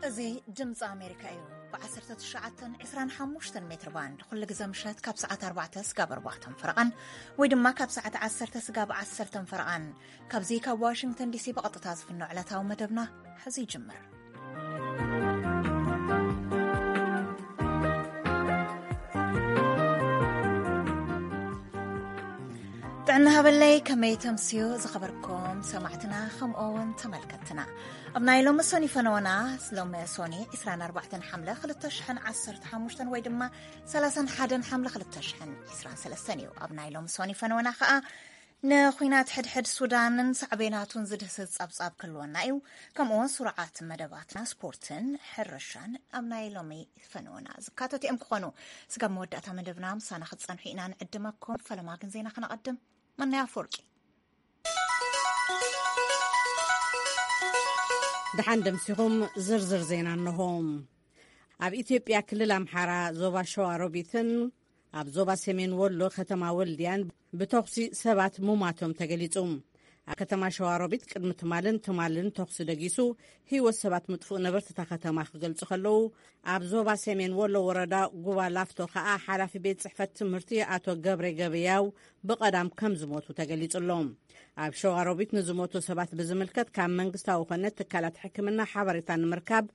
እዚ ድምፂ ኣሜሪካ እዩ። ብ19፣ 25 ሜትር ባንድ ኩሉ ግዜ ምሸት ካብ ሰዓት ኣርባዕተ ስጋብ ኣርባዕተን ፈረቓን፣ ወይ ድማ ካብ ሰዓት ዓሰርተ ስጋብ ዓሰርተን ፈረቓን፣ ካብዚ ካብ ዋሽንግተን ዲሲ ብቐጥታ ዝፍኖ ዕለታዊ መደብና ሕዚ ይጅምር። ጥዕና ሃበለይ፣ ከመይ ተምስዩ ዝኸበርኩም ሰማዕትና፣ ከምኡ እውን ተመልከትና። ኣብ ናይ ሎሚ ሶኒ ፈነወና፣ ሎሚ ሶኒ 24 ሓምለ 2015 ወይ ድማ 31 ሓምለ 2023 እዩ። ኣብ ናይ ሎሚ ሶኒ ፈነወና ከኣ ንኹናት ሕድሕድ ሱዳንን ሳዕቤናቱን ዝድህስስ ጸብጻብ ክህልወና እዩ። ከምኡ እውን ስሩዓት መደባትና ስፖርትን ሕርሻን ኣብ ናይ ሎሚ ፈነወና ዝካተቱ እዮም ክኾኑ። ስጋብ መወዳእታ መደብና ምሳና ክትጸንሑ ኢና ንዕድመኩም። ፈለማ ግን ዜና ክነቐድም። መናይ ኣፈወርቂ። ደሓን ደምሲኹም። ዝርዝር ዜና እንሆ። ኣብ ኢትዮጵያ ክልል ኣምሓራ ዞባ ሸዋሮቢትን ኣብ ዞባ ሰሜን ወሎ ከተማ ወልድያን ብተኹሲ ሰባት ሙማቶም ተገሊጹ። ኣብ ከተማ ሸዋሮቢት ቅድሚ ትማልን ትማልን ተኹሲ ደጊሱ ህይወት ሰባት ምጥፍኡ ነበርቲ እታ ከተማ ክገልጹ ከለዉ፣ ኣብ ዞባ ሰሜን ወሎ ወረዳ ጉባ ላፍቶ ከኣ ሓላፊ ቤት ጽሕፈት ትምህርቲ ኣቶ ገብረ ገበያው ብቐዳም ከም ዝሞቱ ተገሊጹ ኣሎ። ኣብ ሸዋሮቢት ንዝሞቱ ሰባት ብዝምልከት ካብ መንግስታዊ ኮነ ትካላት ሕክምና ሓበሬታ ንምርካብ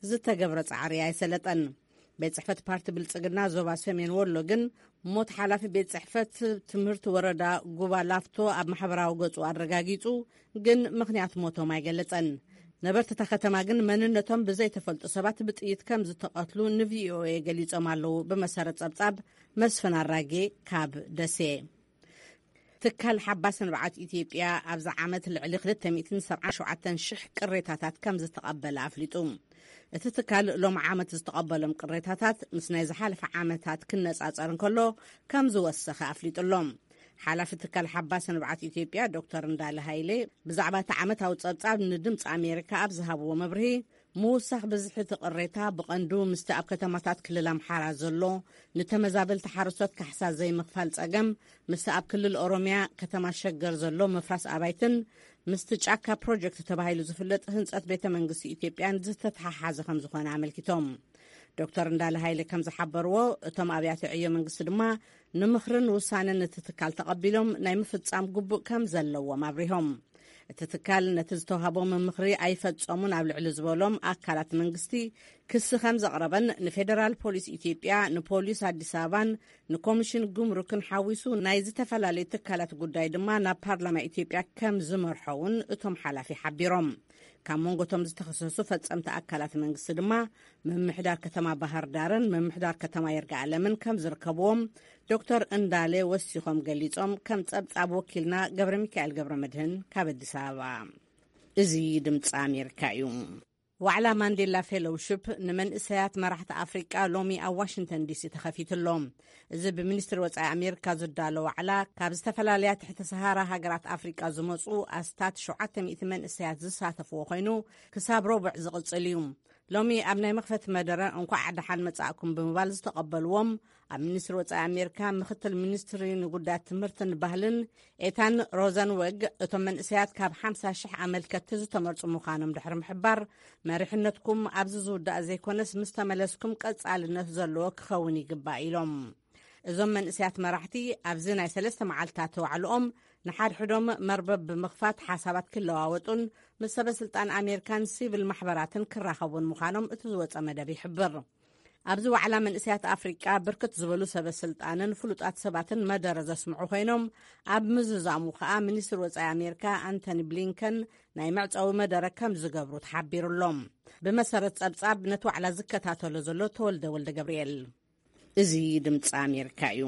ዝተገብረ ጻዕሪ ኣይሰለጠን። ቤት ጽሕፈት ፓርቲ ብልጽግና ዞባ ሰሜን ወሎ ግን ሞት ሓላፊ ቤት ጽሕፈት ትምህርቲ ወረዳ ጉባ ላፍቶ ኣብ ማሕበራዊ ገጹ ኣረጋጊጹ፣ ግን ምኽንያት ሞቶም ኣይገለጸን። ነበርቲ እታ ከተማ ግን መንነቶም ብዘይተፈልጡ ሰባት ብጥይት ከም ዝተቐትሉ ንቪኦኤ ገሊጾም ኣለዉ። ብመሰረት ጸብጻብ መስፍን ኣራጌ ካብ ደሴ። ትካል ሓባስ ንብዓት ኢትዮጵያ ኣብዚ ዓመት ልዕሊ 277,000 ቅሬታታት ከም ዝተቐበለ ኣፍሊጡ። እቲ ትካል ሎም ዓመት ዝተቐበሎም ቅሬታታት ምስ ናይ ዝሓለፈ ዓመታት ክነጻጸር እንከሎ ከም ዝወሰኸ ኣፍሊጡ ኣሎ። ሓላፊ ትካል ሓባስ ንብዓት ኢትዮጵያ ዶክተር እንዳለ ሃይሌ ብዛዕባ እቲ ዓመታዊ ጸብጻብ ንድምፂ ኣሜሪካ ኣብ ዝሃብዎ መብርሂ፣ ምውሳኽ ብዝሒ እቲ ቅሬታ ብቐንዱ ምስቲ ኣብ ከተማታት ክልል ኣምሓራ ዘሎ ንተመዛበልቲ ሓረስቶት ካሕሳ ዘይምኽፋል ጸገም፣ ምስቲ ኣብ ክልል ኦሮሚያ ከተማ ሸገር ዘሎ ምፍራስ ኣባይትን ምስቲ ጫካ ፕሮጀክት ተባሂሉ ዝፍለጥ ህንጸት ቤተ መንግስቲ ኢትዮጵያን ዝተተሓሓዘ ከም ዝኾነ ኣመልኪቶም። ዶክተር እንዳለ ሃይለ ከም ዝሓበርዎ፣ እቶም ኣብያተ ዕዮ መንግስቲ ድማ ንምኽርን ውሳነን እቲ ትካል ተቐቢሎም ናይ ምፍጻም ግቡእ ከም ዘለዎም ኣብሪሆም። እቲ ትካል ነቲ ዝተዋህቦም ምኽሪ ኣይፈጸሙን ኣብ ልዕሊ ዝበሎም ኣካላት መንግስቲ ክሲ ከም ዘቕረበን ንፌደራል ፖሊስ ኢትዮጵያ፣ ንፖሊስ ኣዲስ ኣበባን ንኮሚሽን ጉምሩክን ሓዊሱ ናይ ዝተፈላለዩ ትካላት ጉዳይ ድማ ናብ ፓርላማ ኢትዮጵያ ከም ዝመርሖ እውን እቶም ሓላፊ ሓቢሮም። ካብ መንጎ እቶም ዝተኸሰሱ ፈጸምቲ ኣካላት መንግስቲ ድማ ምምሕዳር ከተማ ባህር ዳርን ምምሕዳር ከተማ ይርጋ ኣለምን ከም ዝርከብዎም ዶክተር እንዳለ ወሲኾም ገሊጾም። ከም ጸብጻብ ወኪልና ገብረ ሚካኤል ገብረ መድህን ካብ ኣዲስ ኣበባ። እዚ ድምፂ ኣሜሪካ እዩ። ዋዕላ ማንዴላ ፌሎውሽፕ ንመንእሰያት መራሕቲ ኣፍሪቃ ሎሚ ኣብ ዋሽንግተን ዲሲ ተኸፊቱ ኣሎ። እዚ ብሚኒስትሪ ወጻኢ ኣሜሪካ ዝዳሎ ዋዕላ፣ ካብ ዝተፈላለያ ትሕቲ ሰሃራ ሃገራት ኣፍሪቃ ዝመጹ ኣስታት 700 መንእሰያት ዝሳተፍዎ ኮይኑ፣ ክሳብ ረቡዕ ዝቕጽል እዩ። ሎሚ ኣብ ናይ መኽፈቲ መደረ እንኳዕ ደሓን መጻእኩም ብምባል ዝተቐበልዎም፣ ኣብ ሚኒስትሪ ወጻኢ ኣሜሪካ ምኽትል ሚኒስትሪ ንጉዳያት ትምህርትን ባህልን ኤታን ሮዘንወግ፣ እቶም መንእሰያት ካብ 50,000 ኣመልከትቲ ዝተመርጹ ምዃኖም ድሕሪ ምሕባር፣ መሪሕነትኩም ኣብዚ ዝውዳእ ዘይኮነስ ምስ ተመለስኩም ቀጻልነት ዘለዎ ክኸውን ይግባእ ኢሎም። እዞም መንእሰያት መራሕቲ ኣብዚ ናይ ሰለስተ መዓልታት ዋዕልኦም ንሓድሕዶም መርበብ ብምኽፋት ሓሳባት ክለዋወጡን ምስ ሰበ ስልጣን ኣሜሪካን ሲቪል ማሕበራትን ክራኸቡን ምዃኖም እቲ ዝወጸ መደብ ይሕብር። ኣብዚ ዋዕላ መንእሰያት ኣፍሪቃ ብርክት ዝበሉ ሰበ ስልጣንን ፍሉጣት ሰባትን መደረ ዘስምዑ ኮይኖም፣ ኣብ ምዝዛሙ ከኣ ሚኒስትር ወጻኢ ኣሜሪካ ኣንቶኒ ብሊንከን ናይ መዕጸዊ መደረ ከም ዝገብሩ ተሓቢሩ ኣሎ። ብመሰረት ጸብጻብ ነቲ ዋዕላ ዝከታተሎ ዘሎ ተወልደ ወልደ ገብርኤል። እዚ ድምፂ ኣሜሪካ እዩ።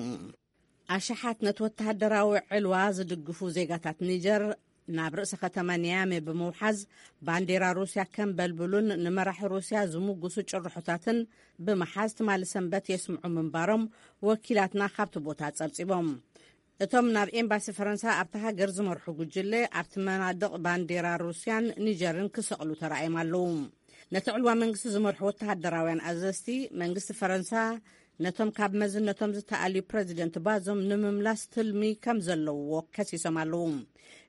ኣሽሓት ነቲ ወተሃደራዊ ዕልዋ ዝድግፉ ዜጋታት ኒጀር ናብ ርእሰ ከተማ ኒያሜ ብምውሓዝ፣ ባንዴራ ሩስያ ከም በልብሉን ንመራሒ ሩስያ ዝምጉሱ ጭርሖታትን ብምሓዝ ትማሊ ሰንበት የስምዑ ምንባሮም ወኪላትና ካብቲ ቦታ ጸብጺቦም። እቶም ናብ ኤምባሲ ፈረንሳ ኣብታ ሃገር ዝመርሑ ጉጅለ፣ ኣብቲ መናድቕ ባንዴራ ሩስያን ኒጀርን ክሰቕሉ ተራእዮም ኣለዉ። ነቲ ዕልዋ መንግስቲ ዝመርሑ ወተሃደራውያን ኣዘዝቲ፣ መንግስቲ ፈረንሳ ነቶም ካብ መዝነቶም ዝተኣልዩ ፕረዚደንት ባዞም ንምምላስ ትልሚ ከም ዘለውዎ ከሲሶም ኣለዉ።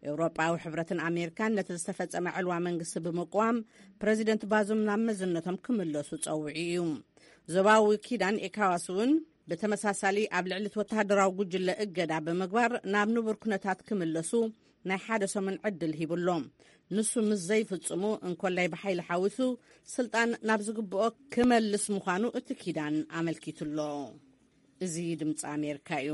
ኤውሮጳዊ ሕብረትን ኣሜሪካን ነቲ ዝተፈጸመ ዕልዋ መንግስቲ ብምቅዋም፣ ፕረዚደንት ባዞም ናብ መዝነቶም ክምለሱ ጸዊዑ እዩ። ዞባዊ ኪዳን ኤካዋስ እውን ብተመሳሳሊ ኣብ ልዕሊ እቲ ወተሃደራዊ ጉጅለ እገዳ ብምግባር ናብ ንቡር ኩነታት ክምለሱ ናይ ሓደ ሰሙን ዕድል ሂቡሎም። ንሱ ምስ ዘይፍጽሙ እንኮላይ ብሓይሊ ሓዊሱ ስልጣን ናብ ዝግብኦ ክመልስ ምዃኑ እቲ ኪዳን ኣመልኪቱሎ። እዚ ድምፂ ኣሜሪካ እዩ።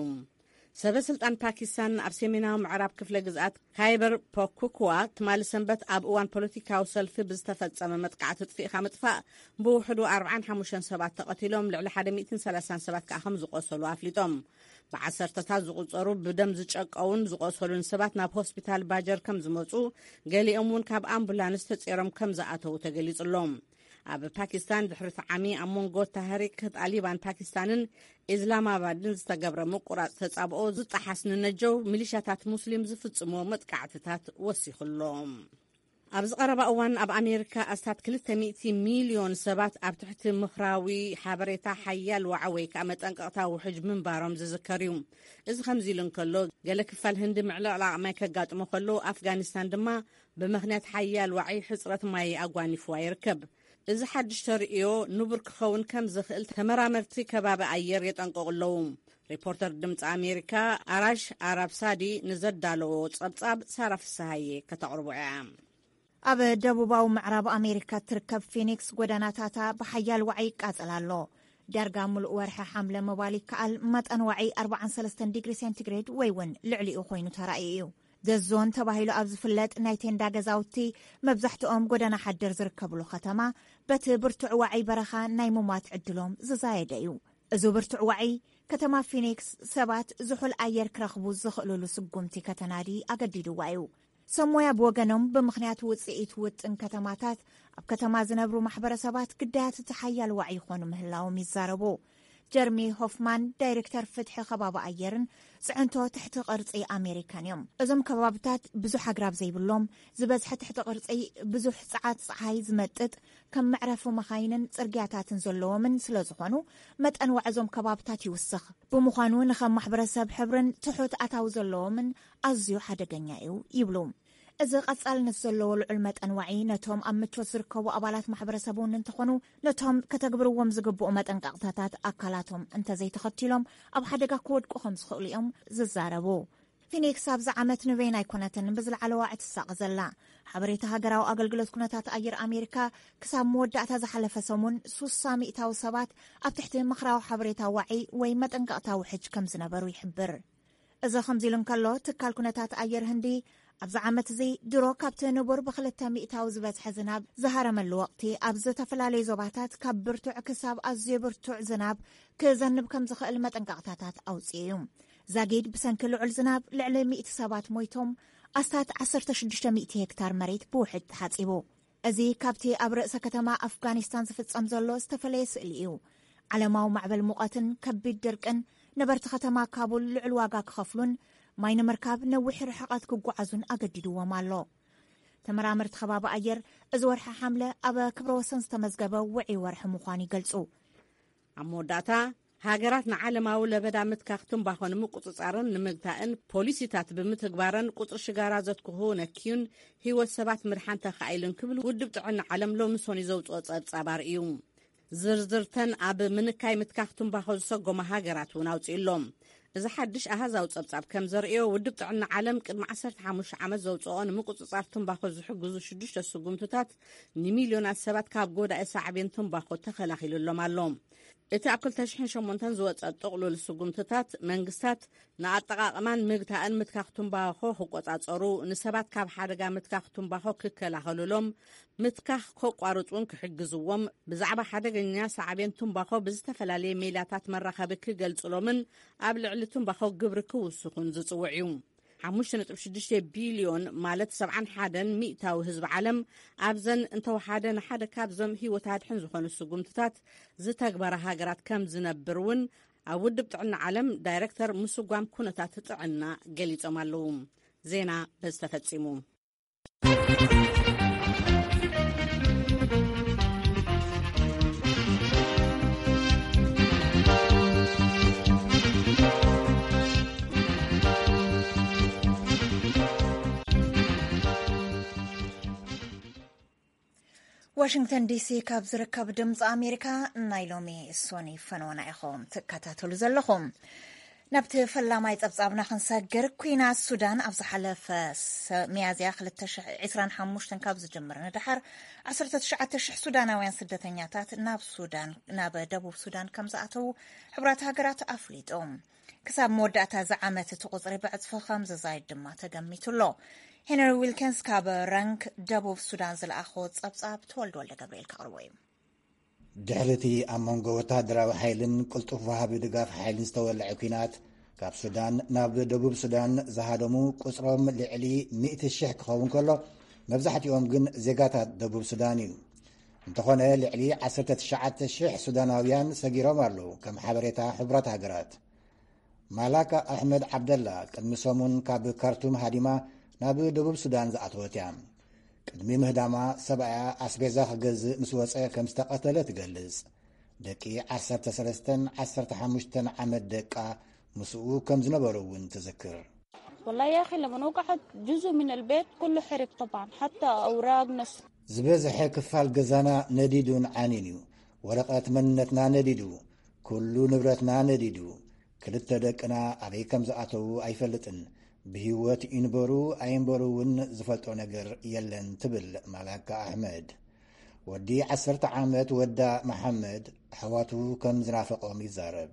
ሰበ ስልጣን ፓኪስታን ኣብ ሰሜናዊ ምዕራብ ክፍለ ግዝኣት ካይበር ፖኩክዋ ትማሊ ሰንበት ኣብ እዋን ፖለቲካዊ ሰልፊ ብዝተፈጸመ መጥቃዕቲ ጥፊእካ ምጥፋእ ብውሕዱ ኣርብዓን ሓሙሽተን ሰባት ተቐቲሎም፣ ልዕሊ ሓደ ሚእትን ሰላሳን ሰባት ከዓ ከም ዝቆሰሉ ኣፍሊጦም። ብዓሰርተታት ዝቑጸሩ ብደም ዝጨቀውን ዝቆሰሉን ሰባት ናብ ሆስፒታል ባጀር ከም ዝመጹ፣ ገሊኦም እውን ካብ ኣምቡላንስ ተጼሮም ከም ዝኣተዉ ተገሊጹሎም። ኣብ ፓኪስታን ድሕሪ እቲ ዓሚ ኣብ መንጎ ታህሪክ ጣሊባን ፓኪስታንን ኢስላማባድን ዝተገብረ ምቁራጽ ተጻብኦ ዝጠሓስ ንነጀው ሚሊሻታት ሙስሊም ዝፍጽሞ መጥቃዕትታት ወሲኹሎም። ኣብዚ ቀረባ እዋን ኣብ ኣሜሪካ ኣስታት ክልተ ሚእቲ ሚልዮን ሰባት ኣብ ትሕቲ ምኽራዊ ሓበሬታ ሓያል ዋዓ ወይ ከዓ መጠንቀቕታ ውሕጅ ምንባሮም ዝዝከር እዩ። እዚ ከምዚ ኢሉ እንከሎ፣ ገለ ክፋል ህንዲ ምዕልቕላቕ ማይ ከጋጥሞ ከሎ፣ ኣፍጋኒስታን ድማ ብምኽንያት ሓያል ዋዒ ሕጽረት ማይ ኣጓኒፍዋ ይርከብ። እዚ ሓድሽ ተርእዮ ንቡር ክኸውን ከም ዝኽእል ተመራመርቲ ከባቢ ኣየር የጠንቅቑ ኣለዉ። ሪፖርተር ድምፂ ኣሜሪካ ኣራሽ ኣራብሳዲ ንዘዳለዎ ጸብጻብ ሳራ ፍስሃዬ ከተቕርቦ እያ። ኣብ ደቡባዊ ምዕራብ ኣሜሪካ እትርከብ ፊኒክስ ጎደናታታ ብሓያል ዋዒ ይቃጸል ኣሎ። ዳርጋ ምሉእ ወርሒ ሓምለ ምባል ይከኣል፣ መጠን ዋዒ ኣርባዓን ሰለስተን ዲግሪ ሴንቲግሬድ ወይ እውን ልዕሊኡ ኮይኑ ተራእዩ እዩ። ዘዞን ተባሂሉ ኣብ ዝፍለጥ ናይ ቴንዳ ገዛውቲ፣ መብዛሕትኦም ጎደና ሓደር ዝርከብሉ ከተማ፣ በቲ ብርቱዕ ዋዒ በረኻ ናይ ሙማት ዕድሎም ዝዛየደ እዩ። እዚ ብርቱዕ ዋዒ፣ ከተማ ፊኒክስ ሰባት ዝሑል ኣየር ክረኽቡ ዝኽእሉሉ ስጉምቲ ከተናዲ ኣገዲድዋ እዩ። ሰብ ሞያ ብወገኖም፣ ብምኽንያት ውጽኢት ውጥን ከተማታት፣ ኣብ ከተማ ዝነብሩ ማሕበረሰባት ግዳያት እቲ ሓያል ዋዒ ይኾኑ ምህላዎም ይዛረቡ። ጀርሚ ሆፍማን፣ ዳይሬክተር ፍትሒ ከባቢ ኣየርን ጽዕንቶ ትሕቲ ቅርጺ ኣሜሪካን እዮም። እዞም ከባብታት ብዙሕ ኣግራብ ዘይብሎም፣ ዝበዝሐ ትሕቲ ቅርጺ ብዙሕ ጸዓት ጸሓይ ዝመጥጥ፣ ከም መዕረፊ መኻይንን ጽርግያታትን ዘለዎምን ስለ ዝኾኑ፣ መጠን ዋዒ እዞም ከባብታት ይውስኽ። ብምዃኑ ንኸም ማሕበረሰብ ሕብርን ትሑት ኣታዊ ዘለዎምን ኣዝዩ ሓደገኛ እዩ ይብሉ። እዚ ቀጻልነት ዘለዎ ልዑል መጠን ዋዒ ነቶም ኣብ ምቾት ዝርከቡ ኣባላት ማሕበረሰብ እውን እንተኾኑ፣ ነቶም ከተግብርዎም ዝግብኡ መጠንቀቕታታት ኣካላቶም እንተዘይተኸቲሎም ኣብ ሓደጋ ክወድቁ ከም ዝኽእሉ እዮም ዝዛረቡ። ፊኒክስ ኣብዚ ዓመት ንበይና ኣይኮነትን ብዝለዓለ ዋዒ ትሳቐ ዘላ። ሓበሬታ ሃገራዊ ኣገልግሎት ኩነታት ኣየር ኣሜሪካ፣ ክሳብ መወዳእታ ዝሓለፈ ሰሙን ሱሳ ሚእታዊ ሰባት ኣብ ትሕቲ ምኽራዊ ሓበሬታ ዋዒ ወይ መጠንቀቕታ ውሕጅ ከም ዝነበሩ ይሕብር። እዚ ከምዚ ኢሉ እንከሎ፣ ትካል ኩነታት ኣየር ህንዲ ኣብዚ ዓመት እዚ ድሮ ካብቲ ንቡር ብክልተ ሚእታዊ ዝበዝሐ ዝናብ ዝሃረመሉ ወቕቲ፣ ኣብ ዝተፈላለዩ ዞባታት ካብ ብርቱዕ ክሳብ ኣዝዩ ብርቱዕ ዝናብ ክዘንብ ከም ዝኽእል መጠንቀቕታታት ኣውጽኡ እዩ። ዛጊድ ብሰንኪ ልዑል ዝናብ ልዕሊ ሚእቲ ሰባት ሞይቶም፣ ኣስታት ዓሰርተ ሽዱሽተ ሚእቲ ሄክታር መሬት ብውሕጅ ተሓጺቡ። እዚ ካብቲ ኣብ ርእሰ ከተማ ኣፍጋኒስታን ዝፍጸም ዘሎ ዝተፈለየ ስእሊ እዩ። ዓለማዊ ማዕበል ሙቐትን ከቢድ ድርቅን ነበርቲ ከተማ ካቡል ልዑል ዋጋ ክኸፍሉን ማይ ንምርካብ ነዊሕ ርሕቐት ክጓዓዙን ኣገዲድዎም ኣሎ። ተመራመርቲ ከባቢ ኣየር፣ እዚ ወርሒ ሓምለ ኣብ ክብረ ወሰን ዝተመዝገበ ውዑይ ወርሒ ምዃኑ ይገልጹ። ኣብ መወዳእታ፣ ሃገራት ንዓለማዊ ለበዳ ምትካኽ ትንባኾ ንምቁጽጻርን ንምግታእን ፖሊሲታት ብምትግባረን ቁጽሪ ሽጋራ ዘትክኹ ነክዩን ህይወት ሰባት ምድሓን ተኻኢሉን ክብል ውድብ ጥዕና ዓለም ሎሚ ሰኑይ ዘውጽኦ ጸብጻብ ኣርእዩ። ዝርዝርተን ኣብ ምንካይ ምትካኽ ትንባኾ ዝሰጎማ ሃገራት እውን ኣውጺኡ ኣሎ። እዚ ሓድሽ ኣሃዛዊ ጸብጻብ ከም ዘርእዮ፣ ውድብ ጥዕና ዓለም ቅድሚ ዓሰርተ ሓሙሽተ ዓመት ዘውጽኦ ንምቁጽጻር ትንባኾ ዝሕግዙ ሽዱሽተ ስጉምትታት ንሚልዮናት ሰባት ካብ ጎዳኢ ሳዕቤን ትንባኾ ተኸላኺሉሎም ኣሎ። እቲ ኣብ ክልተ ሽሕን ሸሞንተን ዝወጸ ጥቕሉል ስጉምትታት፣ መንግስታት ንኣጠቓቕማን ምግታእን ምትካኽ ትንባኾ ክቆጻጸሩ፣ ንሰባት ካብ ሓደጋ ምትካኽ ትንባኾ ክከላኸሉሎም፣ ምትካኽ ከቋርጹን ክሕግዝዎም፣ ብዛዕባ ሓደገኛ ሳዕቤን ትንባኾ ብዝተፈላለየ ሜላታት መራኸቢ ክገልጽሎምን ኣብ ልዕሊ ትንባኾ ግብሪ ክውስኹን ዝጽውዕ እዩ። ሓሙሽተ ነጥቢ ሽዱሽተ ቢልዮን፣ ማለት ሰብዓን ሓደን ሚእታዊ ህዝቢ ዓለም፣ ኣብዘን እንተወሓደ ንሓደ ካብዞም ህይወት ኣድሕን ዝኾኑ ስጉምትታት ዝተግበራ ሃገራት ከም ዝነብር እውን ኣብ ውድብ ጥዕና ዓለም ዳይሬክተር ምስጓም ኩነታት ጥዕና ገሊጾም ኣለዉ። ዜና በዚ ተፈጺሙ። ዋሽንግተን ዲሲ ካብ ዝርከብ ድምፂ ኣሜሪካ ናይ ሎሚ ሶኒ ፈነወና ኢኹም ትከታተሉ ዘለኹም። ናብቲ ፈላማይ ጸብጻብና ክንሰግር፣ ኲናት ሱዳን ኣብ ዝሓለፈ ሰ-፣ ሚያዝያ ክልተ ሽሕ ዕስራን ሓሙሽተን ካብ ዝጅምር ንደሓር ዓሰርተ ትሽዓተ ሽሕ ሱዳናውያን ስደተኛታት ናብ ሱዳን፣ ናብ ደቡብ ሱዳን ከም ዝኣተዉ ሕቡራት ሃገራት ኣፍሊጡ። ክሳብ መወዳእታ እዚ ዓመት እቲ ቁጽሪ ብዕጽፊ ከም ዝዛይድ ድማ ተገሚቱ ኣሎ። ሄነሪ ዊልኪንስ ካብ ረንክ ደቡብ ሱዳን ዝለኣኾ ጸብጻብ ተወልደ ወልደ ገብርኤል ከቕርቦ እዩ። ድሕሪ እቲ ኣብ መንጎ ወተሃደራዊ ሓይልን ቅልጡፍ ወሃቢ ድጋፍ ሓይልን ዝተወልዐ ኲናት፣ ካብ ሱዳን ናብ ደቡብ ሱዳን ዝሃደሙ ቁጽሮም ልዕሊ ሚእቲ ሽሕ ክኸውን ከሎ፣ መብዛሕትኦም ግን ዜጋታት ደቡብ ሱዳን እዩ። እንተኾነ፣ ልዕሊ ዓሰርተ ትሽዓተ ሽሕ ሱዳናውያን ሰጊሮም ኣለዉ፣ ከም ሓበሬታ ሕቡራት ሃገራት። ማላካ ኣሕመድ ዓብደላ ቅድሚ ሰሙን ካብ ካርቱም ሃዲማ ናብ ደቡብ ሱዳን ዝኣተወት እያ። ቅድሚ ምህዳማ፣ ሰብኣያ ኣስቤዛ ክገዝእ ምስ ወጸ ከም ዝተቐተለ ትገልጽ። ደቂ ዓሰርተ ሰለስተን ዓሰርተ ሓሙሽተን ዓመት ደቃ ምስኡ ከም ዝነበሩ እውን ትዝክር። والله يا أخي، لما وقعت جزء من البيت كله حرق طبعا، حتى أوراق نس ዝበዝሐ ክፋል ገዛና ነዲዱን ዓንዩን እዩ። ወረቐት መንነትና ነዲዱ፣ ኩሉ ንብረትና ነዲዱ። ክልተ ደቅና ኣበይ ከም ዝኣተዉ ኣይፈልጥን። ብህይወት ይንበሩ ኣይንበሩ እውን ዝፈልጦ ነገር የለን፣ ትብል ማላካ ኣሕመድ። ወዲ ዓሰርተ ዓመት ወዳ መሓመድ ኣሕዋቱ ከም ዝናፈቖም ይዛረብ።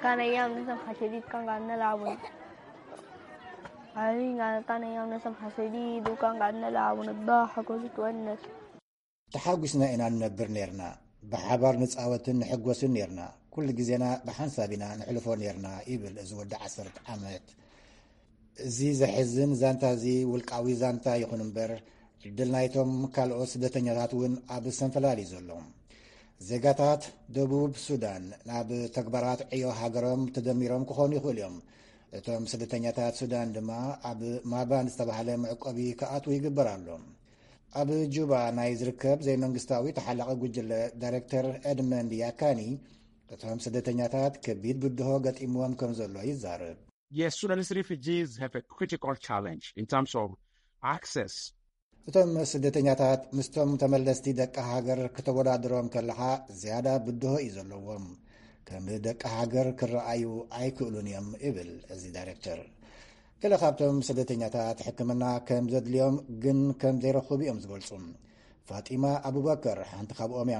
كان أيام نسمع شديد، كان قاعد نلعب ون- عارفين، كان كان أيام نسمع شديد، وكان قاعد نلعب ونضحك ونتونس. ተሓጒስና ኢና ንነብር ነርና። ብሓባር ንጻወትን ንሕጎስን ነርና። ኩሉ ግዜና ብሓንሳብ ኢና ንሕልፎ ነርና፣ ይብል እዚ ወዲ ዓሰርተ ዓመት። እዚ ዘሕዝን ዛንታ እዚ ውልቃዊ ዛንታ ይኹን እምበር፣ ዕድል ናይቶም ካልኦት ስደተኛታት እውን ኣብ ሰንፈላል እዩ ዘሎ። ዜጋታት ደቡብ ሱዳን ናብ ተግባራት ዕዮ ሃገሮም ተደሚሮም ክኾኑ ይኽእሉ እዮም። እቶም ስደተኛታት ሱዳን ድማ ኣብ ማባን ዝተባህለ መዕቆቢ ክኣትዉ ይግበር ኣሎ። ኣብ ጁባ ናይ ዝርከብ ዘይመንግስታዊ ተሓላቒ ጉጅለ ዳይሬክተር ኤድመንድ ያካኒ፣ እቶም ስደተኛታት ከቢድ ብድሆ ገጢምዎም ከም ዘሎ ይዛረብ። Yes, Sudanese refugees have a critical challenge in terms of access. እቶም ስደተኛታት ምስቶም ተመለስቲ ደቂ ሃገር ክተወዳድሮም ከለኻ ዝያዳ ብድሆ እዩ ዘለዎም። ከም ደቂ ሃገር ክረኣዩ ኣይክእሉን እዮም፣ ይብል እዚ ዳይሬክተር። ገለ ካብቶም ስደተኛታት ሕክምና ከም ዘድልዮም ግን ከም ዘይረኽቡ እዮም ዝገልጹ። ፋጢማ ኣቡበከር ሓንቲ ካብኦም እያ።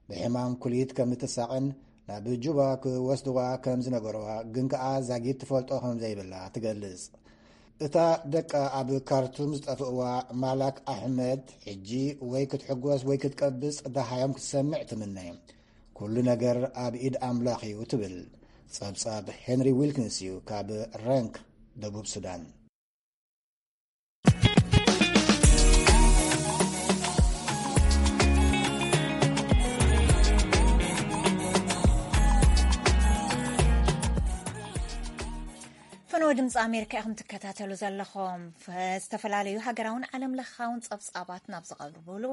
ብሕማም ኩሊት ከም እትሳቐን ናብ ጁባ ክወስድዋ ከም ዝነገርዋ ግን ከኣ ዛጊት ትፈልጦ ከም ዘይብላ ትገልጽ። እታ ደቃ ኣብ ካርቱም ዝጠፍእዋ ማላክ ኣሕመድ፣ ሕጂ ወይ ክትሕጎስ ወይ ክትቀብጽ ደሃዮም ክትሰምዕ ትምነ። ኩሉ ነገር ኣብ ኢድ ኣምላኽ እዩ፣ ትብል። ጸብጻብ ሄንሪ ዊልኪንስ እዩ፣ ካብ ረንክ፣ ደቡብ ሱዳን። ፈነወ ድምፂ ኣሜሪካ ኢኹም ትከታተሉ ዘለኹም። ዝተፈላለዩ ሃገራውን ዓለም ለኻውን ፀብፃባት ናብ ዝቐርብሉ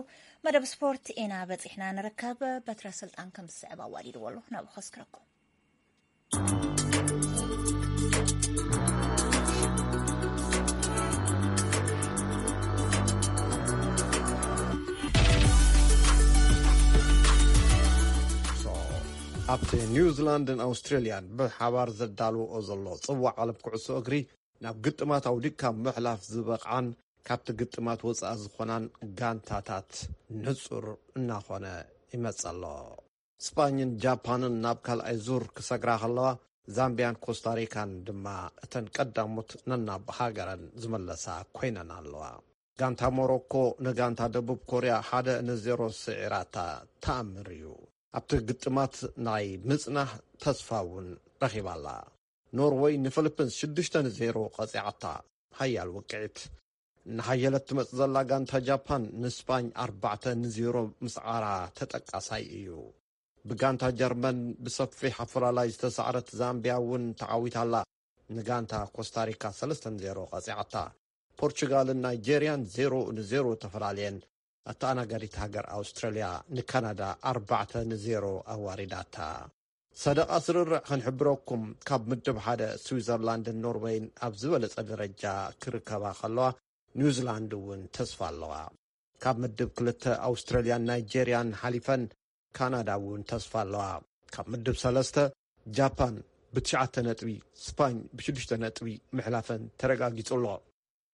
መደብ ስፖርት ኢና በፂሕና ንርከብ። በትረ ስልጣን ከም ዝስዕብ ኣዋዲድዎ ኣሎ፣ ናብኡ ከስክረኩም። ኣብቲ ኒውዚላንድን ኣውስትሬልያን ብሓባር ዘዳልውኦ ዘሎ ጽዋዕ ዓለም ኩዕሶ እግሪ ናብ ግጥማት ኣውዲቕካ ምሕላፍ ዝበቕዓን ካብቲ ግጥማት ወጻኢ ዝኾናን ጋንታታት ንጹር እናኾነ ይመጽእ ኣሎ። ስጳኝን ጃፓንን ናብ ካልኣይ ዙር ክሰግራ ከለዋ፣ ዛምቢያን ኮስታሪካን ድማ እተን ቀዳሞት ነናብ ሃገረን ዝመለሳ ኮይነን ኣለዋ። ጋንታ ሞሮኮ ንጋንታ ደቡብ ኮርያ ሓደ ንዜሮ ስዒራታ ተኣምር እዩ። ኣብቲ ግጥማት ናይ ምጽናሕ ተስፋ እውን ረኺባ ኣላ። ኖርወይ ንፊሊፒንስ ሽዱሽተ ንዜሮ ቀጺዓታ። ሓያል ውቅዒት። እናሓየለት ትመጽእ ዘላ ጋንታ ጃፓን ንስፓኝ ኣርባዕተ ንዜሮ ምስዓራ ተጠቃሳይ እዩ። ብጋንታ ጀርመን ብሰፊሕ ኣፈላላይ ዝተሳዕረት ዛምቢያ እውን ተዓዊታ ኣላ። ንጋንታ ኮስታሪካ ሰለስተ ንዜሮ ቀጺዓታ። ፖርቹጋልን ናይጄርያን ዜሮ ንዜሮ ተፈላለየን። ኣተኣናጋዲት ሃገር ኣውስትራልያ ንካናዳ ኣርባዕተ ንዜሮ ኣዋሪዳታ። ሰደቓ ስርርዕ ክንሕብረኩም፣ ካብ ምድብ ሓደ ስዊዘርላንድን ኖርወይን ኣብ ዝበለጸ ደረጃ ክርከባ ከለዋ፣ ኒውዚላንድ እውን ተስፋ ኣለዋ። ካብ ምድብ ክልተ ኣውስትራልያን ናይጄርያን ሓሊፈን ካናዳ እውን ተስፋ ኣለዋ። ካብ ምድብ ሰለስተ ጃፓን ብትሽዓተ ነጥቢ፣ ስፓኝ ብሽዱሽተ ነጥቢ ምሕላፈን ተረጋጊጹ ኣሎ።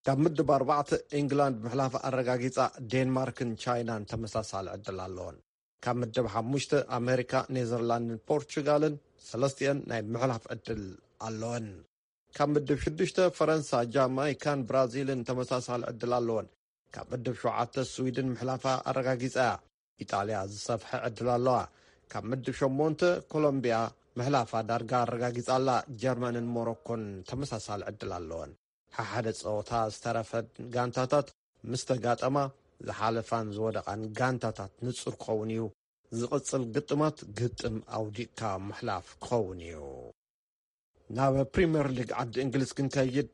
ካብ ምድብ ኣርባዕተ ኢንግላንድ ምሕላፍ ኣረጋጊጻ፣ ዴንማርክን ቻይናን ተመሳሳሊ ዕድል ኣለዎን። ካብ ምድብ ሓሙሽተ ኣሜሪካ፣ ኔዘርላንድን ፖርቹጋልን ሰለስቲአን ናይ ምሕላፍ ዕድል ኣለወን። ካብ ምድብ ሽዱሽተ ፈረንሳ፣ ጃማይካን ብራዚልን ተመሳሳሊ ዕድል ኣለወን። ካብ ምድብ ሸውዓተ ስዊድን ምሕላፋ ኣረጋጊጻ እያ። ኢጣልያ ዝሰፍሐ ዕድል ኣለዋ። ካብ ምድብ ሸሞንተ ኮሎምቢያ ምሕላፋ ዳርጋ ኣረጋጊጻ ኣላ። ጀርመንን ሞሮኮን ተመሳሳሊ ዕድል ኣለወን። ሓሓደ ጸወታ ዝተረፈን ጋንታታት ምስ ተጋጠማ፣ ዝሓለፋን ዝወደቓን ጋንታታት ንጹር ክኸውን እዩ። ዝቕጽል ግጥማት ግጥም ኣውዲቕካ ምሕላፍ ክኸውን እዩ። ናብ ፕሪምየር ሊግ ዓዲ እንግሊዝ ክንከይድ፣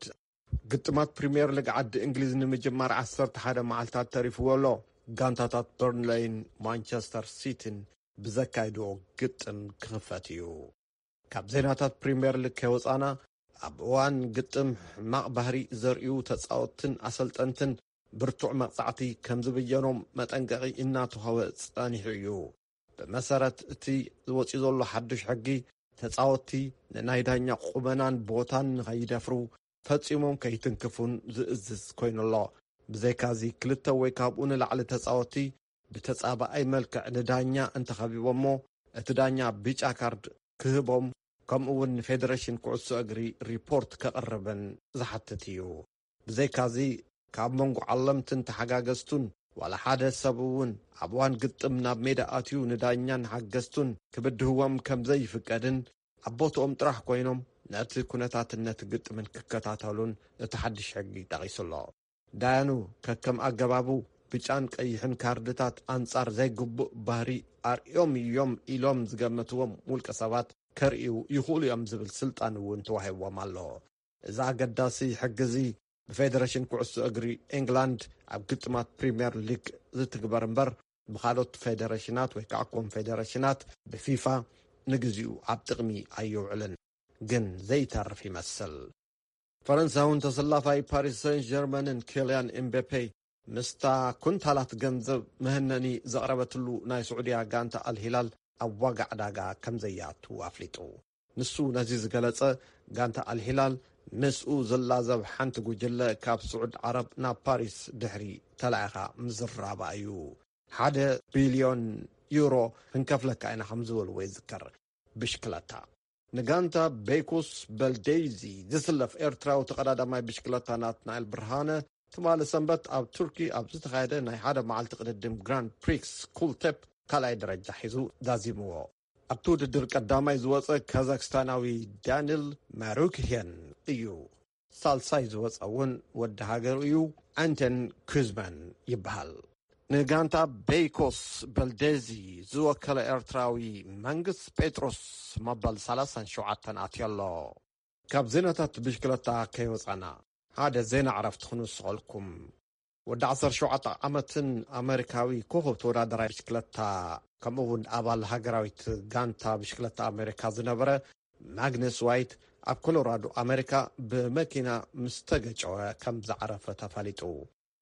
ግጥማት ፕሪምየር ሊግ ዓዲ እንግሊዝ ንምጅማር ዓሰርተ ሓደ መዓልታት ተሪፍዎ ኣሎ። ጋንታታት በርንለይን ማንቸስተር ሲቲን ብዘካይድዎ ግጥም ክኽፈት እዩ። ካብ ዜናታት ፕሪምየር ሊግ ከይወጻና፣ ኣብ እዋን ግጥም ሕማቕ ባህሪ ዘርእዩ ተጻወትትን ኣሰልጠንትን ብርቱዕ መቕጻዕቲ ከም ዝብየኖም መጠንቀቒ እናተዋህበ ጸኒሑ እዩ። ብመሰረት እቲ ዝወጽኡ ዘሎ ሓድሽ ሕጊ፣ ተጻወትቲ ንናይ ዳኛ ቁመናን ቦታን ንኸይደፍሩ፣ ፈጺሞም ከይትንክፉን ዝእዝዝ ኮይኑ ኣሎ። ብዘይካዚ፣ ክልተ ወይ ካብኡ ንላዕሊ ተጻወትቲ ብተጻባኣይ መልክዕ ንዳኛ እንተኸቢቦሞ፣ እቲ ዳኛ ብጫ ካርድ ክህቦም፣ ከምኡ እውን ንፌደሬሽን ኩዕሶ እግሪ ሪፖርት ከቕርብን ዝሓትት እዩ። ብዘይካዚ፣ ካብ መንጎ ዓለምትን ተሓጋገዝቱን ዋላ ሓደ ሰብ እውን ኣብ እዋን ግጥም ናብ ሜዳ ኣትዩ ንዳኛን ሓገዝቱን ክብድህዎም ከም ዘይፍቀድን፣ ኣብ ቦትኦም ጥራሕ ኮይኖም ነቲ ኩነታትን ነቲ ግጥምን ክከታተሉን እቲ ሓድሽ ሕጊ ጠቒሱ ኣሎ። ዳያኑ ከከም ኣገባቡ ብጫን ቀይሕን ካርድታት ኣንጻር ዘይግቡእ ባህሪ ኣርእዮም እዮም ኢሎም ዝገመትዎም ውልቀ ሰባት ከርእዩ ይኽእሉ እዮም ዝብል ስልጣን እውን ተዋሂብዎም ኣሎ። እዚ ኣገዳሲ ሕጊ እዚ ብፌደሬሽን ኩዕሶ እግሪ ኤንግላንድ ኣብ ግጥማት ፕሪምየር ሊግ ዝትግበር እምበር፣ ብኻልኦት ፌደሬሽናት ወይ ከዓ ኮንፌደሬሽናት ብፊፋ ንግዚኡ ኣብ ጥቕሚ ኣይውዕልን። ግን ዘይተርፍ ይመስል። ፈረንሳውን ተሰላፋይ ፓሪስ ሰን ጀርመንን ኬልያን ኤምቤፔ ምስታ ኩንታላት ገንዘብ መህነኒ ዘቕረበትሉ ናይ ስዑድያ ጋንታ ኣልሂላል ኣብ ዋጋ ዕዳጋ ከም ዘያቱ ኣፍሊጡ። ንሱ ነዚ ዝገለጸ፣ ጋንታ ኣልሂላል ምስኡ ዝላዘብ ሓንቲ ጉጅለ ካብ ስዑድ ዓረብ ናብ ፓሪስ ድሕሪ ተላኢኻ ምዝራባ እዩ። ሓደ ቢልዮን ዩሮ ክንከፍለካ ኢና ከም ዝበልዎ ይዝከር። ብሽክለታ። ንጋንታ ቤይኮስ በልዴዚ ዝስለፍ ኤርትራዊ ተቐዳዳማይ ብሽክለታ ናትናኤል ብርሃነ፣ ትማሊ ሰንበት ኣብ ቱርኪ ኣብ ዝተኻየደ ናይ ሓደ መዓልቲ ቅድድም ግራንድ ፕሪክስ ኩልቴፕ ካልኣይ ደረጃ ሒዙ ዛዚምዎ። ኣብቲ ውድድር ቀዳማይ ዝወጸ ካዛክስታናዊ ዳኒል ማሩክሄን እዩ። ሳልሳይ ዝወጸ እውን ወዲ ሃገሩ እዩ፣ ኣንተን ኩዝማን ይበሃል። ንጋንታ ቤይኮስ በልዴዚ ዝወከለ ኤርትራዊ መንግስ ጴጥሮስ መበል ሰላሳን ሸውዓተን ኣትዮ ኣሎ። ካብ ዜናታት ብሽክለታ ከይወጻና፣ ሓደ ዜና ዕረፍቲ ክንውስኸልኩም። ወዲ ዓሰርተ ሸውዓተ ዓመትን ኣመሪካዊ ኮኸብ ተወዳደራይ ብሽክለታ፣ ከምኡ እውን ኣባል ሃገራዊት ጋንታ ብሽክለታ ኣመሪካ ዝነበረ ማግነስ ዋይት፣ ኣብ ኮሎራዶ ኣመሪካ ብመኪና ምስ ተገጨወ ከም ዝዓረፈ ተፈሊጡ።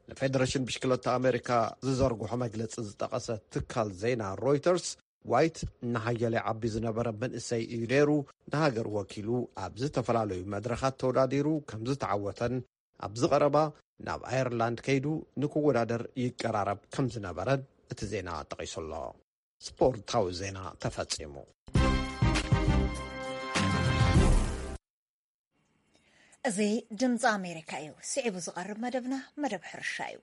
ንፌደሬሽን ብሽክለታ ኣመሪካ ዝዘርግሖ መግለጺ ዝጠቐሰ ትካል ዜና ሮይተርስ፣ ዋይት ንሓያለ ዓቢ ዝነበረ መንእሰይ እዩ ነይሩ። ንሃገር ወኪሉ ኣብ ዝተፈላለዩ መድረኻት ተወዳዲሩ ከም ዝተዓወተን፣ ኣብዚ ቀረባ ናብ ኣየርላንድ ከይዱ ንክወዳደር ይቀራረብ ከም ዝነበረን እቲ ዜና ጠቒሱ ኣሎ። ስፖርታዊ ዜና ተፈጺሙ። እዚ ድምፂ ኣሜሪካ እዩ። ስዒቡ ዝቐርብ መደብና መደብ ሕርሻ እዩ።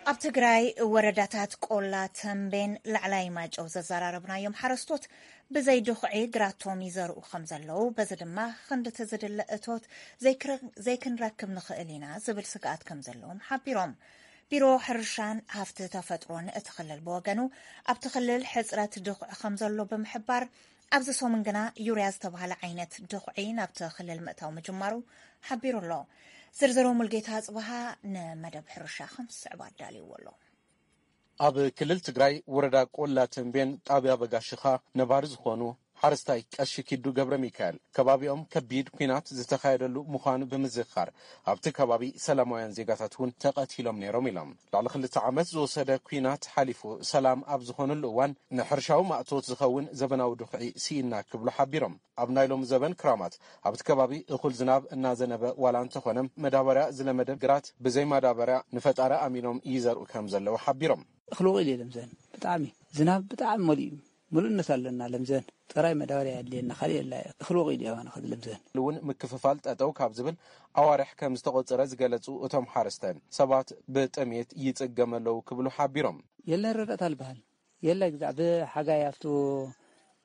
ኣብ ትግራይ ወረዳታት ቆላ ተምቤን ላዕላይ ማጨው ዘዘራረብናዮም ሓረስቶት ብዘይ ድኹዒ ግራቶም ይዘርኡ ከም ዘለዉ፣ በዚ ድማ ክንድቲ ዝድለ እቶት ዘይክረ-፣ ዘይክንረክብ ንኽእል ኢና ዝብል ስግኣት ከም ዘለዎም ሓቢሮም። ቢሮ ሕርሻን ሃፍቲ ተፈጥሮን እቲ ክልል ብወገኑ፣ ኣብቲ ክልል ሕጽረት ድኹዒ ከም ዘሎ ብምሕባር፣ ኣብዚ ሰሙን ግና ዩርያ ዝተባህለ ዓይነት ድኹዒ ናብቲ ክልል ምእታው ምጅማሩ ሓቢሩ ኣሎ። ዝርዝሩ ሙልጌታ ኣጽብሃ ንመደብ ሕርሻ ከም ዝስዕብ ኣዳልይዎ ኣሎ። ኣብ ክልል ትግራይ ወረዳ ቆላ ተንቤን ጣብያ በጋሽኻ ነባሪ ዝኾኑ ሓረስታይ ቀሺ ኪዱ ገብረ ሚካኤል፣ ከባቢኦም ከቢድ ኲናት ዝተኻየደሉ ምዃኑ ብምዝኻር፣ ኣብቲ ከባቢ ሰላማውያን ዜጋታት እውን ተቐቲሎም ነይሮም ኢሎም። ልዕሊ ክልተ ዓመት ዝወሰደ ኲናት ሓሊፉ ሰላም ኣብ ዝኾነሉ እዋን፣ ንሕርሻዊ ማእቶት ዝኸውን ዘበናዊ ድኹዒ ስኢና ክብሉ ሓቢሮም። ኣብ ናይ ሎሚ ዘበን ክራማት ኣብቲ ከባቢ እኹል ዝናብ እናዘነበ ዋላ እንተኾነ፣ መዳበርያ ዝለመደ ግራት ብዘይ ማዳበርያ ንፈጣሪ ኣሚኖም ይዘርኡ ከም ዘለዉ ሓቢሮም። እኽሊ ወቒሉ የለን ዘን ብጣዕሚ ዝናብ ብጣዕሚ መሊኡ ምሉእነት ኣለና። ለምዘን ጥራይ መዳበርያ የድልየና፣ ካልእ የላ። እኽሊ ወቒሉ እያ ዋና ኸዚ ለምዘን። እውን ምክፍፋል ጠጠው ካብ ዝብል ኣዋርሕ ከም ዝተቖጸረ ዝገለጹ እቶም ሓረስታይን፣ ሰባት ብጥሜት ይጽገሙ ኣለዉ ክብሉ ሓቢሮም። የለን ረዳእታ ዝበሃል የለ። ግዛዕ ብሓጋይ ኣብቱ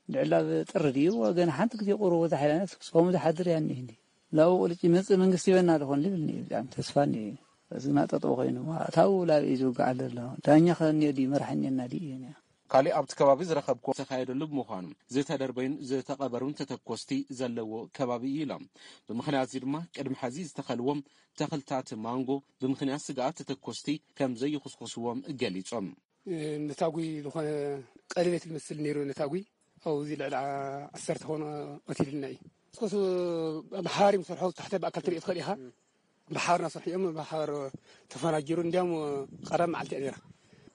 ድዕላ ብጥሪ ድዩ ወገን ሓንቲ ግዜ ቁሩብ ወዛ ሓይላነት ክስቆሙ ዝሓድር እያ እኒህ እንዲ ላቡ ቁልጭ ይመጽእ መንግስቲ ይበና ዝኾን ልብል እኒህ ብጣዕሚ ተስፋ እኒህ። እዚ ማጠጠው ኮይኑ ኣታው ላብ እዩ ዝውጋዕ ዘሎ። ዳኛ ከ እኒኦ ድዩ መራሕ እኒና ድዩ እዩ እኒኣ። ካሊእ ኣብቲ ከባቢ ዝረኸብኩ ዝተኻየደሉ ብምዃኑ ዝተደርበዩን ዝተቐበሩን ተተኮስቲ ዘለዎ ከባቢ እዩ ኢሎም። ብምኽንያት እዚ ድማ ቅድሚ ሐዚ ዝተኸልዎም ተኽልታት ማንጎ ብምኽንያት ስግኣት ተተኮስቲ ከም ዘይኹስኹስዎም ገሊጾም። ነታጒ ዝኾነ ቀለቤት ዝመስል ነይሩ። ነታጒ ኣብዚ ልዕሊ ዓሰርተ ኾነ ቀቲልና እዩ። እስኮስ ብሓባር እዮም ሰርሖ። ታሕተ ብኣካል ትሪኦ ትኽእል ኢኻ። ብሓባር ናሰርሑ እዮም። ብሓባር ተፈናጅሩ። እንዲያም ቀዳም መዓልቲ እያ ነይራ።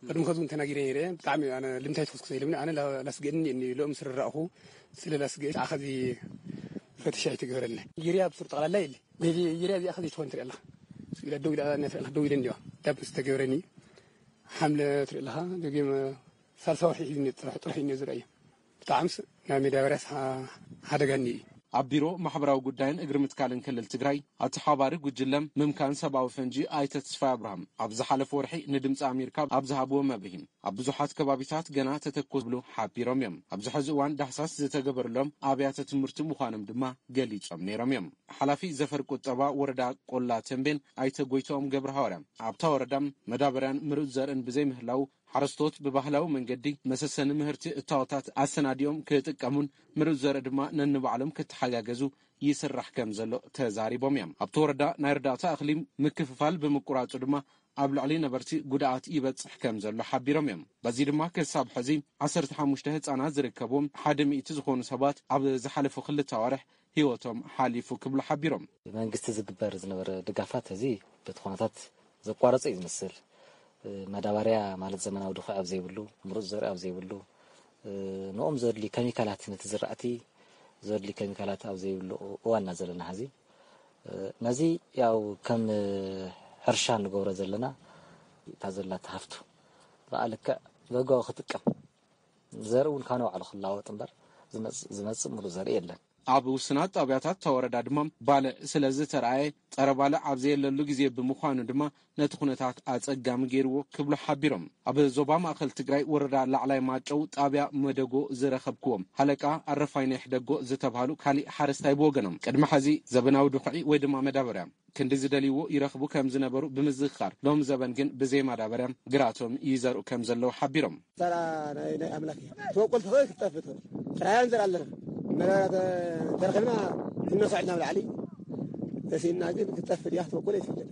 ቅድሚ ከዚ እውን ተናጊረ ነይረ። ብጣዕሚ ኣነ ልምታይ ትኹስኩስ ኢልምኒ። ኣነ ላ-፣ ላስገድኒ እኒ ሎም ስርራእኹ ስለ ላስገድ ኣኸዚ ፈትሻ ኣይተገበረልና። ዩርያ ብሱር ጠቕላላ የለ። በዚ ዩርያ እዚኣ ከዚ ትኾን ትሪኣ ኣለኻ። ስኢላ ደው ኢላ እያ ትሪኣ ኣለኻ። ደው ኢለ እንዲዋ ዳብ ዝተገበረኒ ሓምለ ትርኢ ኣለኻ። ደጊም ሳልሳ ወርሒ እዩ ጥራሕ፣ ጥራሕ እዩ ዝረኣዩ። ብጣዕምስ ናይ መዳበርያስ ሓ-፣ ሓደጋኒ እዩ። ኣብ ቢሮ ማሕበራዊ ጉዳይን እግሪ ምትካልን ክልል ትግራይ ኣተሓባሪ ጉጅለ ምምካን ሰብኣዊ ፈንጂ ኣይተ ተስፋይ ኣብርሃም ኣብ ዝሓለፈ ወርሒ ንድምፂ ኣሜሪካ ኣብ ዝሃብዎ መብርሂ፣ ኣብ ብዙሓት ከባቢታት ገና ተተኮስ ብሉ ሓቢሮም እዮም። ኣብዚ ሕዚ እዋን ዳህሳስ ዝተገበረሎም ኣብያተ ትምህርቲ ምዃኖም ድማ ገሊጾም ነይሮም እዮም። ሓላፊ ዘፈር ቁጠባ ወረዳ ቆላ ተንቤን ኣይተ ጎይቶኦም ገብረ ሃዋርያ፣ ኣብታ ወረዳ መዳበርያን ምሩፅ ዘርእን ብዘይምህላው ሓረስቶት ብባህላዊ መንገዲ መሰሰኒ ምህርቲ እታወታት ኣሰናዲኦም ክጥቀሙን ምሩፅ ዘርኢ ድማ ነንባዕሎም ክተሓጋገዙ ይስራሕ ከም ዘሎ ተዛሪቦም እዮም። ኣብቲ ወረዳ ናይ እርዳታ እኽሊ ምክፍፋል ብምቁራፁ ድማ ኣብ ልዕሊ ነበርቲ ጉድኣት ይበፅሕ ከም ዘሎ ሓቢሮም እዮም። በዚ ድማ ክሳብ ሕዚ ዓሰርተ ሓሙሽተ ህፃናት ዝርከብዎም ሓደ ሚእቲ ዝኾኑ ሰባት ኣብ ዝሓለፉ ክልተ ኣዋርሕ ህይወቶም ሓሊፉ ክብሉ ሓቢሮም። መንግስቲ ዝግበር ዝነበረ ድጋፋት እዚ በቲ ኩነታት ዘቋረጸ እዩ ዝመስል። መዳበርያ ማለት ዘመናዊ ድኹዒ ኣብ ዘይብሉ፣ ምሩፅ ዘርኢ ኣብ ዘይብሉ፣ ንኦም ዘድሊ ኬሚካላት፣ ነቲ ዝራእቲ ዘድሊ ኬሚካላት ኣብ ዘይብሉ እዋንና ዘለና ሐዚ። ነዚ ያው ከም ሕርሻ ንገብሮ ዘለና እታ ዘላታ ሃፍቱ ብኣ ልክዕ በጋዊ ክጥቀም፣ ዘርኢ እውን ካብ ንባዕሉ ክላወጥ እምበር ዝመጽእ፣ ዝመጽእ ምሩፅ ዘርኢ የለን። ኣብ ውስናት ጣብያታት እታ ወረዳ ድማ ባልዕ ስለ ዝተረኣየ ጸረ ባልዕ ኣብ ዘየለሉ ግዜ ብምዃኑ ድማ ነቲ ኩነታት ኣጸጋሚ ገይርዎ ክብሉ ሓቢሮም። ኣብ ዞባ ማእከል ትግራይ ወረዳ ላዕላይ ማጨው ጣብያ መደጎ ዝረኸብክዎም ሃለቃ ኣረፋይነህ ደጎ ዝተባህሉ ካሊእ ሓረስታይ ብወገኖም ቅድሚ ሐዚ ዘበናዊ ድኹዒ ወይ ድማ መዳበርያ ክንዲ ዝደልይዎ ይረኽቡ ከም ዝነበሩ ብምዝኽኻር፣ ሎም ዘበን ግን ብዘይ ማዳበርያ ግራቶም ይዘርኡ ከም ዘለዉ ሓቢሮም። ተራ ናይ፣ ናይ ኣምላክ እያ። ትበቁል ትኽእል ክትጠፍእ ትኽእል። ጥራያን ዘር ኣለና። መዳበርያ ተ-፣ ተረኺብና ክንነስዖ ኢልና ኣብ ላዕሊ ተሲእና ግን ክትጠፍእ ድያ ክትበቁል ኣይትፍለጥ።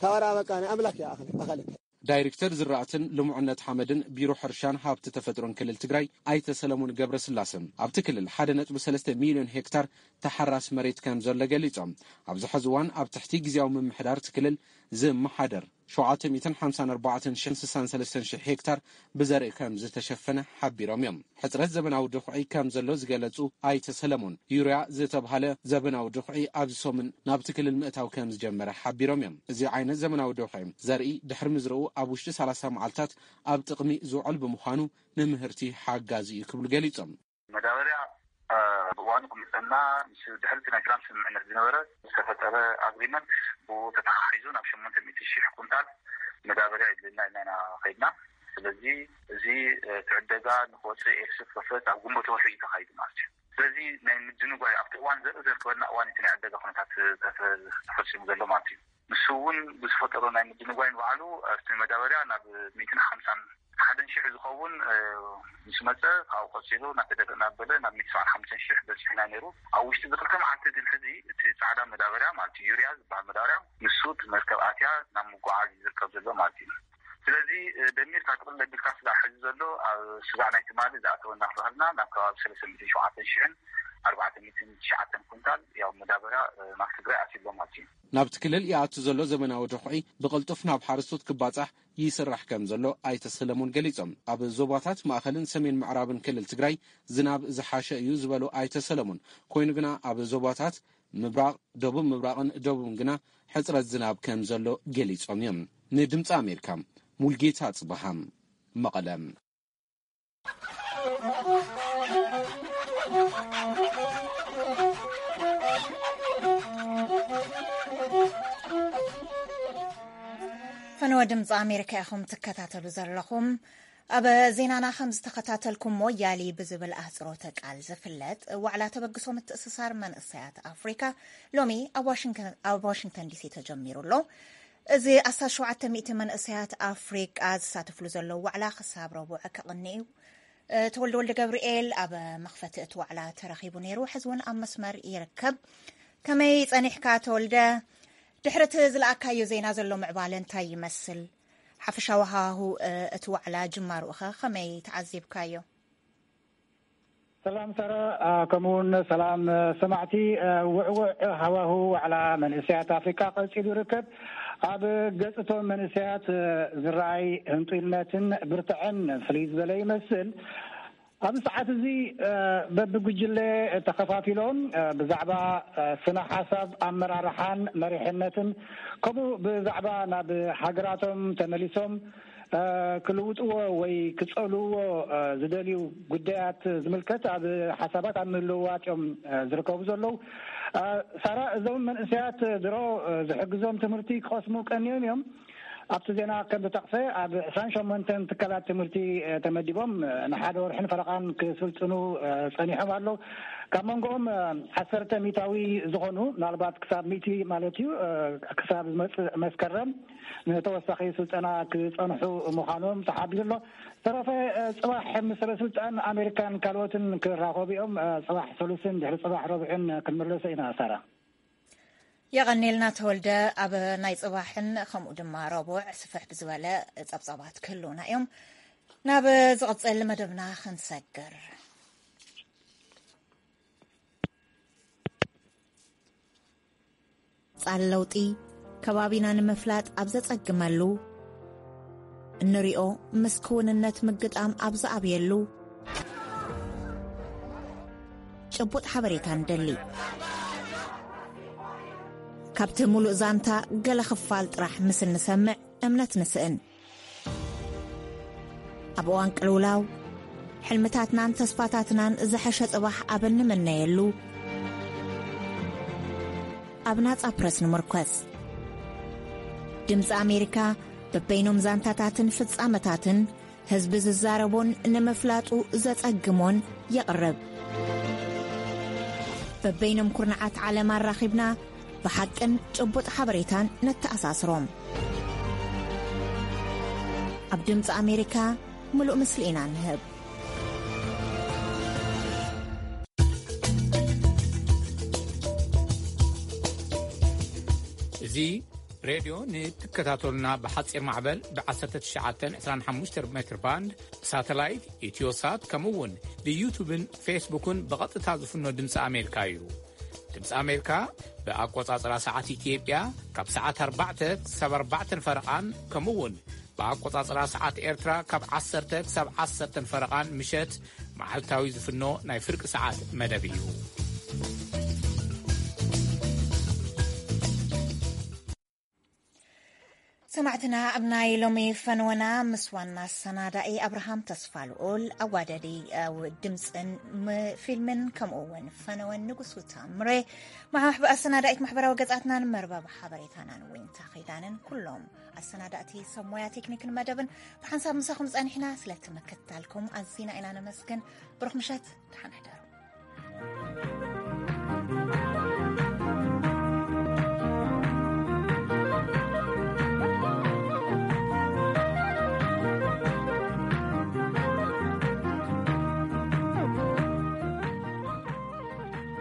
ታወራ በቃ ናይ ኣምላክ እያ ኣኸለ-፣ ኣኸለ። ዳይሬክተር ዝራእትን ልሙዕነት ሓመድን ቢሮ ሕርሻን ሃብቲ ተፈጥሮን ክልል ትግራይ ኣይተ ሰለሞን ገብረስላሰ፣ ኣብቲ ክልል ሓደ ነጥቢ ሰለስተ ሚልዮን ሄክታር ተሓራስ መሬት ከም ዘሎ ገሊጾም፣ ኣብዚ ሕዚ እዋን ኣብ ትሕቲ ግዝያዊ ምምሕዳር እቲ ክልል ዝመሓደር ሸውዓተ ሚእትን ሓምሳን ኣርባዕተን ሽሕን ስሳን ሰለስተን ሽሕ ሄክታር ብዘርኢ ከም ዝተሸፈነ ሓቢሮም እዮም። ሕጽረት ዘበናዊ ድኹዒ ከም ዘሎ ዝገለጹ ኣይተ ሰለሞን፣ ዩርያ ዝተብሃለ ዘበናዊ ድኹዒ ኣብዚ ሰሙን ናብቲ ክልል ምእታው ከም ዝጀመረ ሓቢሮም እዮም። እዚ ዓይነት ዘመናዊ ድኹዒ ዘርኢ ድሕሪ ምዝርኡ ኣብ ውሽጢ ሰላሳ መዓልታት ኣብ ጥቕሚ ዝውዕል ብምዃኑ ንምህርቲ ሓጋዚ እዩ ክብሉ ገሊጾም። መዳበርያ፣ እ፣ ብእዋኑ ክምፀና ምስ ድሕሪ እቲ ናይ ሰላም ስምምዕነት ዝነበረ ዝተፈጠረ ኣግሪመንት ብኡ ተተሓሒዙ ናብ ሸሞንተ ሚእቲ ሺሕ ኩንታል መዳበርያ ይድልና ኢልና ኢና ከይድና። ስለዚ እዚ፣ እ፣ እቲ ዕደጋ ንክወፅእ ኤክስፖርት ኣብ ግንቦት ወርሒ እዩ ተኻይዱ ማለት እዩ። ስለዚ ናይ ምድንጓይ ኣብቲ እዋን ዘርኢ ዘርከበና እዋን እቲ ናይ ዕደጋ ኩነታት ተፈ-፣ ተፈፂሙ ዘሎ ማለት እዩ። ንሱ እውን ብዝፈጠሮ ናይ ምድንጓይ ንባዕሉ ኣብቲ መዳበርያ ናብ ሚእትን ሓምሳን ሓደን ሺሕ ዝኸውን፣ እ፣ ምስ መፀ ካብኡ ቀፂሉ እናተደበ እናበለ ናብ ሚእቲ ሰብዓን ሓሙሽተን ሺሕ በፂሕና ነይሩ። ኣብ ውሽጢ እዚ ክልተ መዓልቲ ግን ሕዚ እቲ ፃዕዳ መዳበርያ ማለት እዩ፣ ዩርያ ዝበሃል መዳበርያ ንሱ እቲ መርከብ ኣትያ ናብ ምጉዓዝ እዩ ዝርከብ ዘሎ ማለት እዩ። ስለዚ ደሚርካ ጥቕልል ኣቢልካ ስጋዕ ሕዚ ዘሎ ኣብ ስጋዕ ናይ ትማሊ ዝኣተወ እናተባህልና ናብ ከባቢ ሰለስተ ሚእትን ሸውዓተን ሽሕን ኣርባዕተ ሚእትን ትሽዓተን ኩንታል ያው መዳበርያ ናብ ትግራይ ኣትዩሎ ማለት እዩ። ናብቲ ክልል ይኣቱ ዘሎ ዘመናዊ ድኹዒ ብቕልጡፍ ናብ ሓረስቶት ክባጻሕ ይስራሕ ከም ዘሎ ኣይተ ሰለሞን ገሊጾም። ኣብ ዞባታት ማእኸልን ሰሜን ምዕራብን ክልል ትግራይ ዝናብ ዝሓሸ እዩ ዝበሉ ኣይተ ሰለሞን፣ ኮይኑ ግና ኣብ ዞባታት ምብራቕ፣ ደቡብ ምብራቕን ደቡብን ግና ሕፅረት ዝናብ ከም ዘሎ ገሊጾም እዮም። ንድምፂ ኣሜሪካ ሙልጌታ ጽበሃም መቐለ። ፈነወ ድምፂ ኣሜሪካ ኢኹም ትከታተሉ ዘለኹም። ኣብ ዜናና ከም ዝተኸታተልኩም ሞያሊ ብዝብል ኣህፅሮተ ቃል ዝፍለጥ ዋዕላ ተበግሶ ምትእስሳር መንእሰያት ኣፍሪካ ሎሚ ኣብ ዋሽንግተን፣ ኣብ ዋሽንግተን ዲሲ ተጀሚሩ ኣሎ። እዚ ኣስታት ሸውዓተ ሚእቲ መንእሰያት ኣፍሪቃ ዝሳተፍሉ ዘለዉ ዋዕላ ክሳብ ረቡዕ ክቕኒ እዩ። እ፣ ተወልደ ወልደ ገብርኤል ኣብ መኽፈቲ እቲ ዋዕላ ተረኺቡ ነይሩ። ሕዚ እውን ኣብ መስመር ይርከብ። ከመይ ጸኒሕካ ተወልደ? ድሕሪ እቲ ዝለኣካዮ ዜና ዘሎ ምዕባለ እንታይ ይመስል? ሓፈሻዊ ሃዋሁ፣ እ፣ እቲ ዋዕላ ጅማሩ'ኸ ከመይ ተዓዚብካዮ? ሰላም ሳራ፣ አ፣ ከምኡ እውን ሰላም፣ አ፣ ሰማዕቲ። አ፣ ውዕውዕ ሃዋሁ ዋዕላ መንእሰያት ኣፍሪቃ ቀጺሉ ይርከብ። ኣብ ገጽ እቶም መንእሰያት፣ አ፣ ዝረኣይ ህንጡይነትን ብርትዐን ፍልይ ዝበለ ይመስል። ኣብዚ ሰዓት እዚ፣ አ፣ በብጉጅለ ተኸፋፊሎም፣ አ፣ ብዛዕባ፣ አ፣ ስነ ሓሳብ ኣመራርሓን መሪሕነትን ከምኡ ብዛዕባ ናብ ሃገራቶም ተመሊሶም እ፣ ክልውጥዎ ወይ ክጸልውዎ፣ እ፣ ዝደልዩ ጉዳያት ዝምልከት ኣብ ሓሳባት ኣብ ምልውዋጥ እዮም፣ እ፣ ዝርከቡ ዘለዉ። እ፣ ሳራ፣ እዞም መንእሰያት ድሮ፣ እ፣ ዝሕግዞም ትምህርቲ ክቐስሙ ቀንዮም እዮም። ኣብቲ ዜና ከም ዝተጠቕሰ ኣብ ዕስራን ሸሞንተን ትካላት ትምህርቲ፣ እ፣ ተመዲቦም፣ እ፣ ንሓደ ወርሕን ፈረቓን ክስልጥኑ፣ እ፣ ጸኒሖም ኣለዉ። ካብ መንጎኦም፣ እ፣ ዓሰርተ ሚእታዊ ዝኾኑ ምናልባት ክሳብ ሚእቲ ማለት እዩ፣ እ፣ ክሳብ ዝመጽእ መስከረም ንተወሳኺ ስልጠና ክጸንሑ ምዃኖም ተሓቢሩ ኣሎ። ዝተረፈ፣ እ፣ ጽባሕ ምስ ሰበ ስልጣን ኣሜሪካን ካልኦትን ክራኸቡ እዮም። እ፣ ጽባሕ ሰሉስን ድሕሪ ጽባሕ ረቡዕን ክንምለሶ ኢና፣ ሳራ። የቐኔልና ተወልደ። ኣብ ናይ ጽባሕን ከምኡ ድማ ረቡዕ ስፍሕ ብዝበለ ጸብጻባት ክህልውና እዮም። ናብ ዝቕጽል መደብና ክንሰግር። ጻል ለውጢ ከባቢና ንምፍላጥ ኣብ ዘጸግመሉ፣ እንሪኦ ምስ ክውንነት ምግጣም ኣብ ዝኣብየሉ፣ ጭቡጥ ሓበሬታ ንደሊ። ካብቲ ሙሉእ ዛንታ ገለ ክፋል ጥራሕ ምስ እንሰምዕ እምነት ንስእን። ኣብ እዋን ቅልውላው፣ ሕልምታትናን ተስፋታትናን ዝሐሸ ጽባሕ ኣብ እንምነየሉ፣ ኣብ ናጻ ፕረስ ንምርኮስ። ድምጺ ኣሜሪካ በበይኖም ዛንታታትን ፍጻመታትን ህዝቢ ዝዛረቦን ንምፍላጡ ዘጸግሞን የቕርብ። በበይኖም ኩርናዓት ዓለም ኣራኺብና ብሓቅን ጭቡጥ ሓበሬታን ነተኣሳስሮም። ኣብ ድምፂ ኣሜሪካ ምሉእ ምስሊ ኢና ንህብ። እዚ ሬድዮ ንትከታተሉና ብሓፂር ማዕበል ብ ዓሰርተ ትሽዓተ ዕስራን ሓሙሽተን ሜትር ባንድ፣ ሳተላይት፣ ኢትዮሳት፣ ከምኡ እውን ብዩቱብን ፌስቡክን ብቐጥታ ዝፍኖ ድምፂ ኣሜሪካ እዩ። ድምፂ ኣሜሪካ ብኣቆፃፅራ ሰዓት ኢትዮጵያ ካብ ሰዓት ኣርባዕተ ክሳብ ኣርባዕተን ፈረቓን፣ ከምኡ እውን ብኣቆፃፅራ ሰዓት ኤርትራ ካብ ዓሰርተ ክሳብ ዓሰርተን ፈረቓን ምሸት መዓልታዊ ዝፍኖ ናይ ፍርቂ ሰዓት መደብ እዩ። ሰማዕትና፣ ኣብ ናይ ሎሚ ፈንወና ምስ ዋና ኣሰናዳኢ ኣብርሃም ተስፋልኡል፣ ኣዋደዲ፣ እ፣ ድምፅን ም-፣ ፊልምን ከምኡ እውን ፈነወን ንጉሱ ታምሬ፣ ማሕበ-፣ ኣሰናዳኢት ማሕበራዊ ገጻትናን መርበብ ሓበሬታናን ዊንታ ኺዳንን ኩሎም ኣሰናዳእቲ ሰብ ሞያ ቴክኒክን መደብን ብሓንሳብ ምሳኹም ጸኒሕና። ስለቲ ምክትታልኩም ኣዚና ኢና ነመስግን። ብሩኽ ምሸት፣ ደሓን ሕደሩ።